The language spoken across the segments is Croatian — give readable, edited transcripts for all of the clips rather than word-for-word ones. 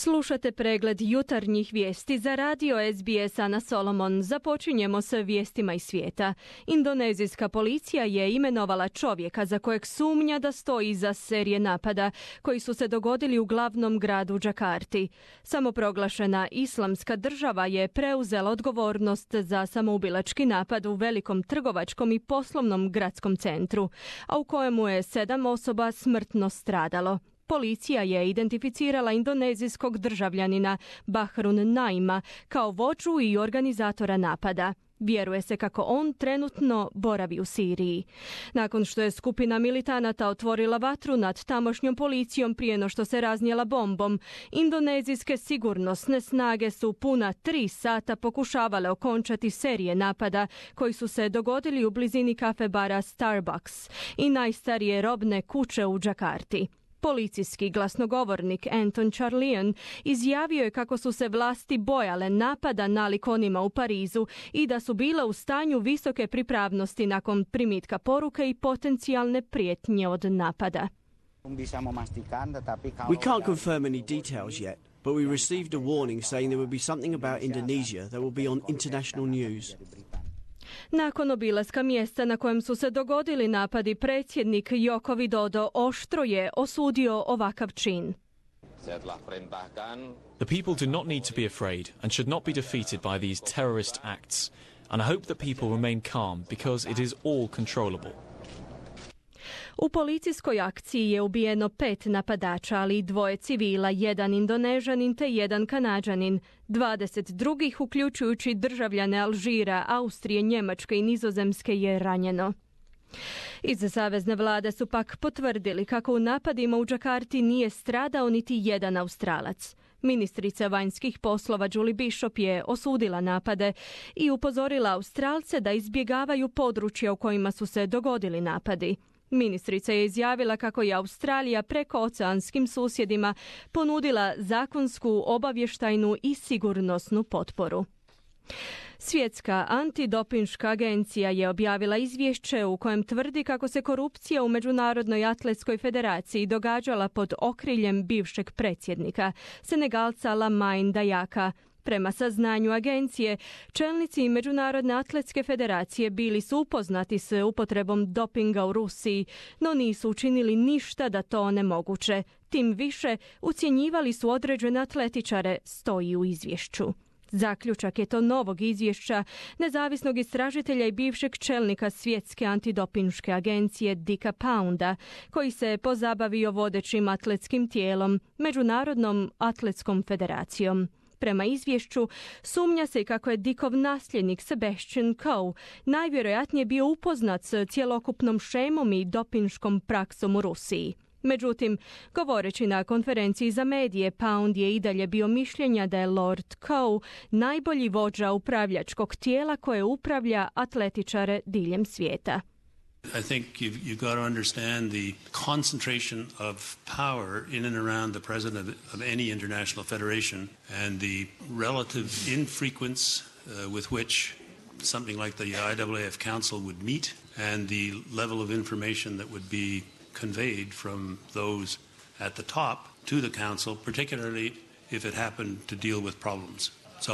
Slušate pregled jutarnjih vijesti za radio SBS Ana Solomon. Započinjemo sa vijestima iz svijeta. Indonezijska policija je imenovala čovjeka za kojeg sumnja da stoji iza serije napada koji su se dogodili u glavnom gradu Džakarti. Samoproglašena Islamska država je preuzela odgovornost za samoubilački napad u velikom trgovačkom i poslovnom gradskom centru, a u kojemu je 7 osoba smrtno stradalo. Policija je identificirala indonezijskog državljanina Bahrun Naima kao vođu i organizatora napada. Vjeruje se kako on trenutno boravi u Siriji. Nakon što je skupina militanata otvorila vatru nad tamošnjom policijom prije no što se raznijela bombom, indonezijske sigurnosne snage su puna 3 sata pokušavale okončati serije napada koji su se dogodili u blizini kafe bara Starbucks i najstarije robne kuće u Džakarti. Policijski glasnogovornik Anton Charlian izjavio je kako su se vlasti bojale napada nalik onima u Parizu i da su bile u stanju visoke pripravnosti nakon primitka poruke i potencijalne prijetnje od napada. We can't confirm any details yet, but we received a warning saying there would be something about Indonesia that will be on international news. Nakon obilaska mjesta na kojem su se dogodili napadi, predsjednik Joko Widodo oštro je osudio ovakav čin. The people do not need to be afraid and should not be defeated by these terrorist acts. And I hope that people remain calm because it is all controllable. U policijskoj akciji je ubijeno 5 napadača, ali i 2 civila, 1 Indonežanin te 1 Kanađanin. 20 drugih, uključujući državljane Alžira, Austrije, Njemačke i Nizozemske, je ranjeno. Iz savezne vlade su pak potvrdili kako u napadima u Džakarti nije stradao niti 1 Australac. Ministrica vanjskih poslova Julie Bishop je osudila napade i upozorila Australce da izbjegavaju područja u kojima su se dogodili napadi. Ministrica je izjavila kako je Australija prekooceanskim susjedima ponudila zakonsku, obavještajnu i sigurnosnu potporu. Svjetska antidopinška agencija je objavila izvješće u kojem tvrdi kako se korupcija u Međunarodnoj atletskoj federaciji događala pod okriljem bivšeg predsjednika, Senegalca Lamine Dayaka. Prema saznanju agencije, čelnici Međunarodne atletske federacije bili su upoznati s upotrebom dopinga u Rusiji, no nisu učinili ništa da to onemoguće. Tim više, ucjenjivali su određene atletičare, stoji u izvješću. Zaključak je to novog izvješća nezavisnog istražitelja i bivšeg čelnika Svjetske antidopinške agencije Dicka Pounda, koji se pozabavio vodećim atletskim tijelom, Međunarodnom atletskom federacijom. Prema izvješću, sumnja se kako je Dickov nasljednik Sebastian Coe najvjerojatnije bio upoznat s cjelokupnom šemom i dopinškom praksom u Rusiji. Međutim, govoreći na konferenciji za medije, Pound je i dalje bio mišljenja da je Lord Coe najbolji vođa upravljačkog tijela koje upravlja atletičare diljem svijeta. I think you've got to understand the concentration of power in and around the president of any international federation and the relative infrequence with which something like the IAAF Council would meet and the level of information that would be conveyed from those at the top to the council, particularly if it happened to deal with problems. So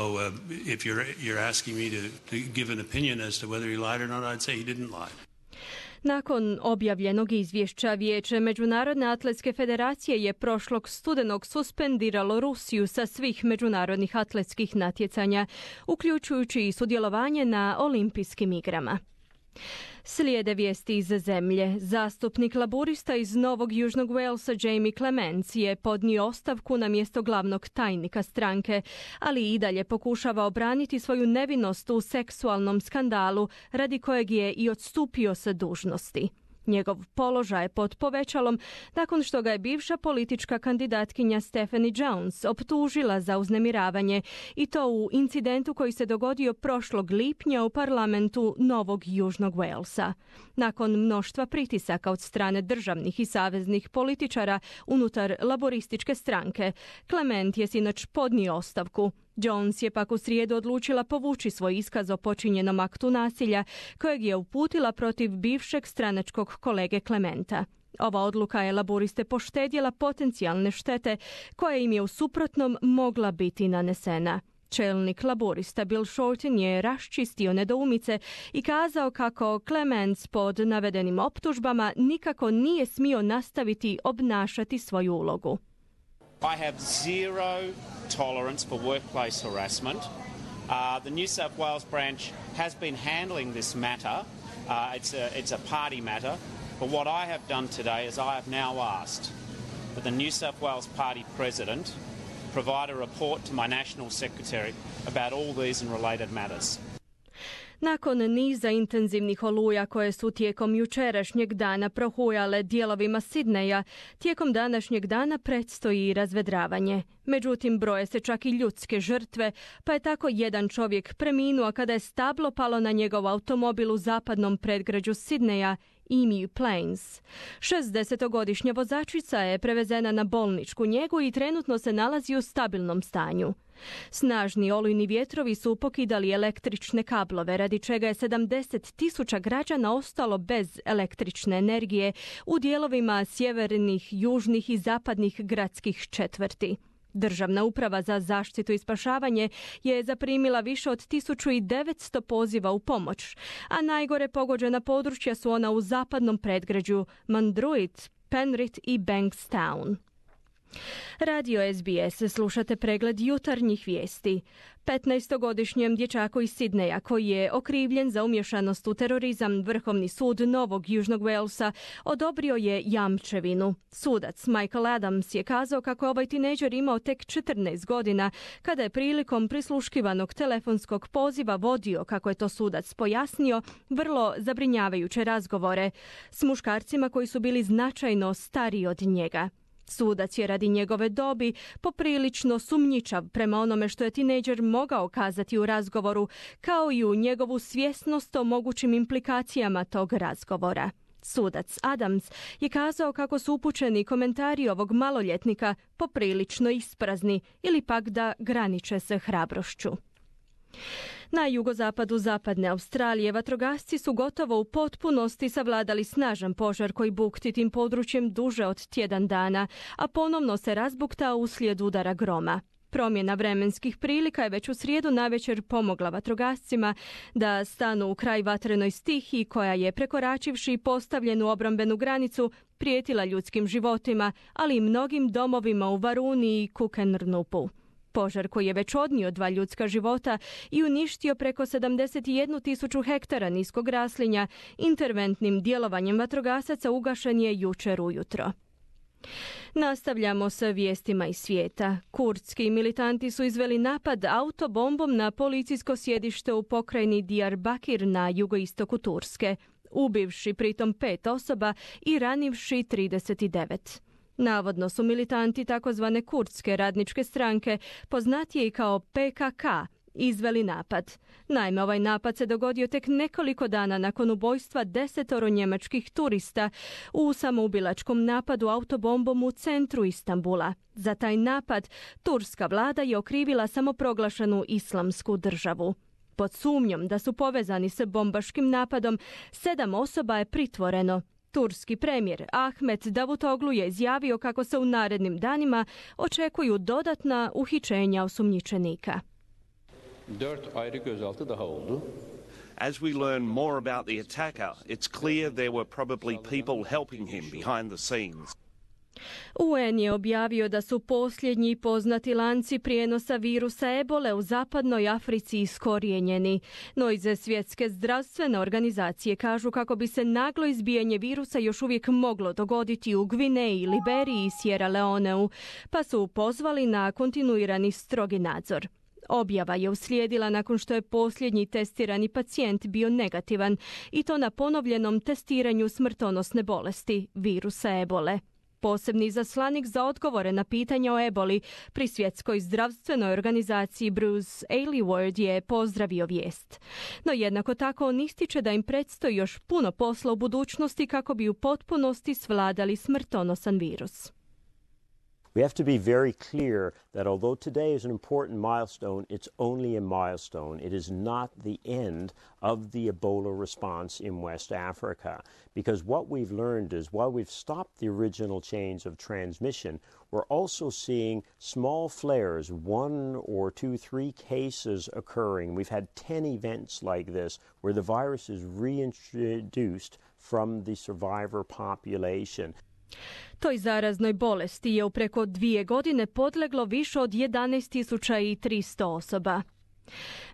if you're asking me to give an opinion as to whether he lied or not, I'd say he didn't lie. Nakon objavljenog izvješća, Vijeće Međunarodne atletske federacije je prošlog studenog suspendiralo Rusiju sa svih međunarodnih atletskih natjecanja, uključujući i sudjelovanje na olimpijskim igrama. Slijede vijesti iz zemlje. Zastupnik laburista iz Novog Južnog Walesa Jamie Clements je podnio ostavku na mjesto glavnog tajnika stranke, ali i dalje pokušava obraniti svoju nevinost u seksualnom skandalu radi kojeg je i odstupio sa dužnosti. Njegov položaj je pod povećalom nakon što ga je bivša politička kandidatkinja Stephanie Jones optužila za uznemiravanje i to u incidentu koji se dogodio prošlog lipnja u parlamentu Novog Južnog Walesa. Nakon mnoštva pritisaka od strane državnih i saveznih političara unutar laborističke stranke, Clement je sinoć podnio ostavku. Jones je pak u srijedu odlučila povući svoj iskaz o počinjenom aktu nasilja kojeg je uputila protiv bivšeg stranačkog kolege Clementa. Ova odluka je laburiste poštedjela potencijalne štete koja im je u suprotnom mogla biti nanesena. Čelnik laburista Bill Shorten je raščistio nedoumice i kazao kako Clements pod navedenim optužbama nikako nije smio nastaviti obnašati svoju ulogu. I have zero tolerance for workplace harassment. The New South Wales branch has been handling this matter. It's a party matter. But what I have done today is I have now asked that the New South Wales Party president provide a report to my national secretary about all these and related matters. Nakon niza intenzivnih oluja koje su tijekom jučerašnjeg dana prohujale dijelovima Sidneja, tijekom današnjeg dana predstoji razvedravanje. Međutim, broje se čak i ljudske žrtve, pa je tako jedan čovjek preminuo kada je stablo palo na njegov automobil u zapadnom predgrađu Sidneja, Emu Plains. 60-godišnja vozačica je prevezena na bolničku njegu i trenutno se nalazi u stabilnom stanju. Snažni olujni vjetrovi su pokidali električne kablove, radi čega je 70,000 građana ostalo bez električne energije u dijelovima sjevernih, južnih i zapadnih gradskih četvrti. Državna uprava za zaštitu i spašavanje je zaprimila više od 1900 poziva u pomoć, a najgore pogođena područja su ona u zapadnom predgrađu Mandurah, Penrith i Bankstown. Radio SBS, slušate pregled jutarnjih vijesti. 15-godišnjem dječaku iz Sidneja koji je okrivljen za umješanost u terorizam, Vrhovni sud Novog Južnog Walesa odobrio je jamčevinu. Sudac Michael Adams je kazao kako je ovaj tinejdžer imao tek 14 godina kada je prilikom prisluškivanog telefonskog poziva vodio, kako je to sudac pojasnio, vrlo zabrinjavajuće razgovore s muškarcima koji su bili značajno stariji od njega. Sudac je radi njegove dobi poprilično sumnjičav prema onome što je tinejdžer mogao kazati u razgovoru, kao i u njegovu svjesnost o mogućim implikacijama tog razgovora. Sudac Adams je kazao kako su upućeni komentari ovog maloljetnika poprilično isprazni ili pak da graniče se hrabrošću. Na jugozapadu zapadne Australije vatrogasci su gotovo u potpunosti savladali snažan požar koji bukti tim područjem duže od tjedan dana, a ponovno se razbuktao uslijed udara groma. Promjena vremenskih prilika je već u srijedu navečer pomogla vatrogascima da stanu u kraj vatrenoj stihiji koja je, prekoračivši postavljenu obrambenu granicu, prijetila ljudskim životima, ali i mnogim domovima u Varuni i Kukenrnupu. Požar koji je već odnio 2 ljudska života i uništio preko 71,000 hektara niskog raslinja, interventnim djelovanjem vatrogasaca ugašen je jučer ujutro. Nastavljamo sa vijestima iz svijeta. Kurdski militanti su izveli napad autobombom na policijsko sjedište u pokrajini Diyarbakir na jugoistoku Turske, ubivši pritom 5 osoba i ranivši 39. Navodno su militanti takozvane kurdske radničke stranke, poznatije i kao PKK, izveli napad. Naime, ovaj napad se dogodio tek nekoliko dana nakon ubojstva 10 njemačkih turista u samoubilačkom napadu autobombom u centru Istanbula. Za taj napad turska vlada je okrivila samoproglašenu Islamsku državu. Pod sumnjom da su povezani s bombaškim napadom, 7 osoba je pritvoreno. Turski premijer Ahmet Davutoglu je izjavio kako se u narednim danima očekuju dodatna uhićenja osumnjičenika. 4 ayrı gözaltı daha oldu. As we learn more about the attacker, it's clear there were probably people helping him behind the scenes. UN je objavio da su posljednji poznati lanci prijenosa virusa ebole u zapadnoj Africi iskorijenjeni, no iz Svjetske zdravstvene organizacije kažu kako bi se naglo izbijanje virusa još uvijek moglo dogoditi u Gvineji, Liberiji i Sierra Leoneu, pa su pozvali na kontinuirani strogi nadzor. Objava je uslijedila nakon što je posljednji testirani pacijent bio negativan, i to na ponovljenom testiranju smrtonosne bolesti, virusa ebole. Posebni izaslanik za odgovore na pitanja o eboli pri Svjetskoj zdravstvenoj organizaciji Bruce Aylward je pozdravio vijest. No jednako tako on ističe da im predstoji još puno posla u budućnosti kako bi u potpunosti svladali smrtonosan virus. We have to be very clear that although today is an important milestone, it's only a milestone. It is not the end of the Ebola response in West Africa. Because what we've learned is while we've stopped the original chains of transmission, we're also seeing small flares, 1 or 2, 3 cases occurring. We've had 10 events like this where the virus is reintroduced from the survivor population. Toj zaraznoj bolesti je u preko 2 godine podleglo više od 11.300 osoba.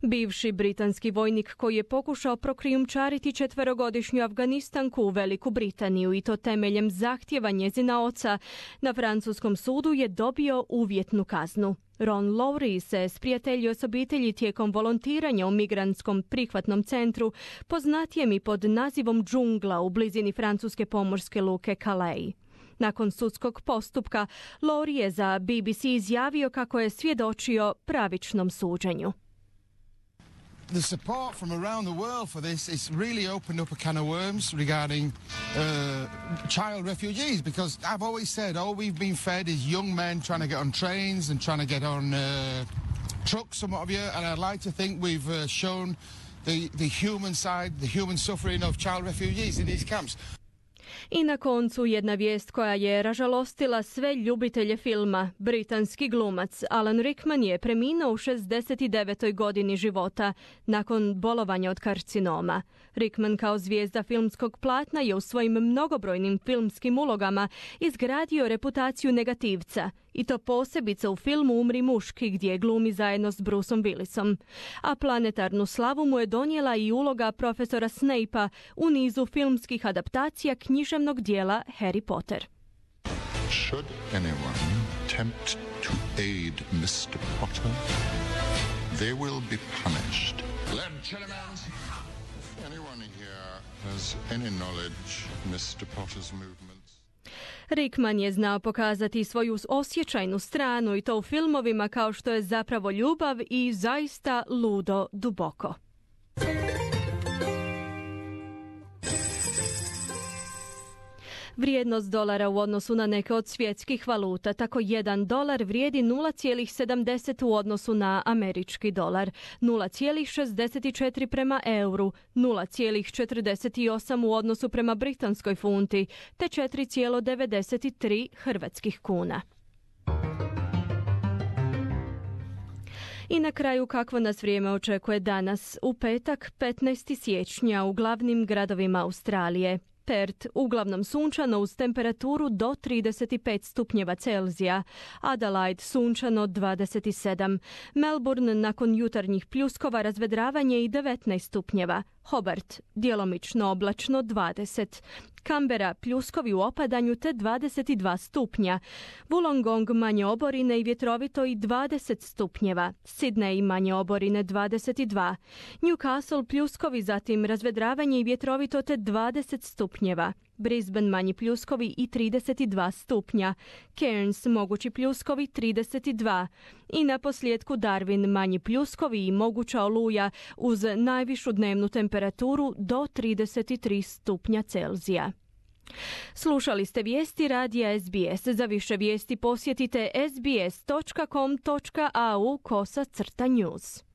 Bivši britanski vojnik koji je pokušao prokrijumčariti 4-godišnju Afganistanku u Veliku Britaniju i to temeljem zahtjeva njezina oca na francuskom sudu je dobio uvjetnu kaznu. Ron Lowry se sprijateljio s obitelji tijekom volontiranja u migrantskom prihvatnom centru, poznatijem i pod nazivom Džungla u blizini francuske pomorske luke Calais. Nakon sudskog postupka, Lowry je za BBC izjavio kako je svjedočio pravičnom suđenju. The support from around the world for this is really opened up a can of worms regarding child refugees, because I've always said all we've been fed is young men trying to get on trains and trying to get on trucks and what have you, and I'd like to think we've shown the human side, the human suffering of child refugees in these camps. I na koncu jedna vijest koja je ražalostila sve ljubitelje filma. Britanski glumac Alan Rickman je preminuo u 69. godini života nakon bolovanja od karcinoma. Rickman kao zvijezda filmskog platna je u svojim mnogobrojnim filmskim ulogama izgradio reputaciju negativca. I to posebice u filmu Umri muški gdje glumi zajedno s Bruceom Willisom. A planetarnu slavu mu je donijela i uloga profesora Snape'a u nizu filmskih adaptacija književnog dijela Harry Potter. Should anyone attempt to aid Mr. Potter, they will be punished. Anyone here has any knowledge of Mr. Potter's movements? Rickman je znao pokazati svoju osjećajnu stranu i to u filmovima kao što je Zapravo ljubav i Zaista ludo duboko. Vrijednost dolara u odnosu na neke od svjetskih valuta, tako $1 vrijedi 0,70 u odnosu na američki dolar, 0,64 prema euru, 0,48 u odnosu prema britanskoj funti, te 4,93 hrvatskih kuna. I na kraju kakvo nas vrijeme očekuje danas, u petak 15. siječnja u glavnim gradovima Australije. Perth uglavnom sunčano uz temperaturu do 35 stupnjeva Celzija, Adelaide sunčano 27, Melbourne nakon jutarnjih pljuskova razvedravanje i 19 stupnjeva, Hobart djelomično oblačno 20, Canberra pljuskovi u opadanju te 22 stupnja, Wollongong manje oborine i vjetrovito i 20 stupnjeva, Sydney manje oborine 22, Newcastle pljuskovi zatim razvedravanje i vjetrovito te 20 stupnjeva, Brisbane manji pljuskovi i 32 stupnja, Cairns mogući pljuskovi 32 i na posljedku Darwin manji pljuskovi i moguća oluja uz najvišu dnevnu temperaturu do 33 stupnja Celzija. Slušali ste vijesti radija SBS. Za više vijesti posjetite sbs.com.au/news.